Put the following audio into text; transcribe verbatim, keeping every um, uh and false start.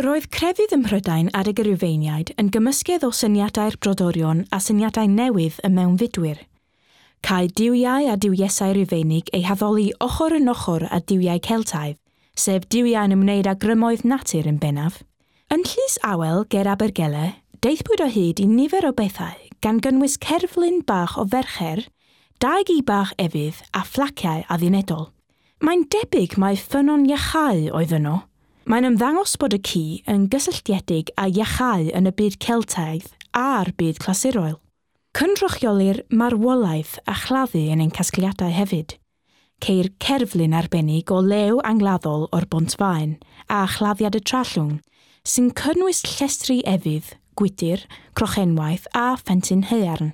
Roedd crefydd ym Mhrydain adeg y Rhufeiniaid yn gymysgedd o syniadau'r brodorion a syniadau newydd y mewnfudwyr. Cai duwiau a duwiesau Rufeinig eu haddoli ochr yn ochr â duwiau Celtaidd, sef duwiau'n ymwneud â grymoedd natur yn bennaf. Yn Llys Awel ger Abergele, daethpwyd o hyd i nifer o bethau gan gynnwys cerflun bach o fercher, dau gi bach efydd a phlaciau addunedol. Mae'n debyg mai ffynnon iachau oedd yno. Mae'n ymddangos bod y ci yn gysylltiedig â iachau yn y byd Celtaidd a'r byd clasurol. Cynrychiolir marwolaeth a chladdu yn ein casgliadau hefyd. Ceir cerflun arbennig o lew angladdol o'r Bont Faen a chladdiad y Trallwng, sy'n cynnwys llestri efydd, gwydr, crochenwaith a phentyn haearn.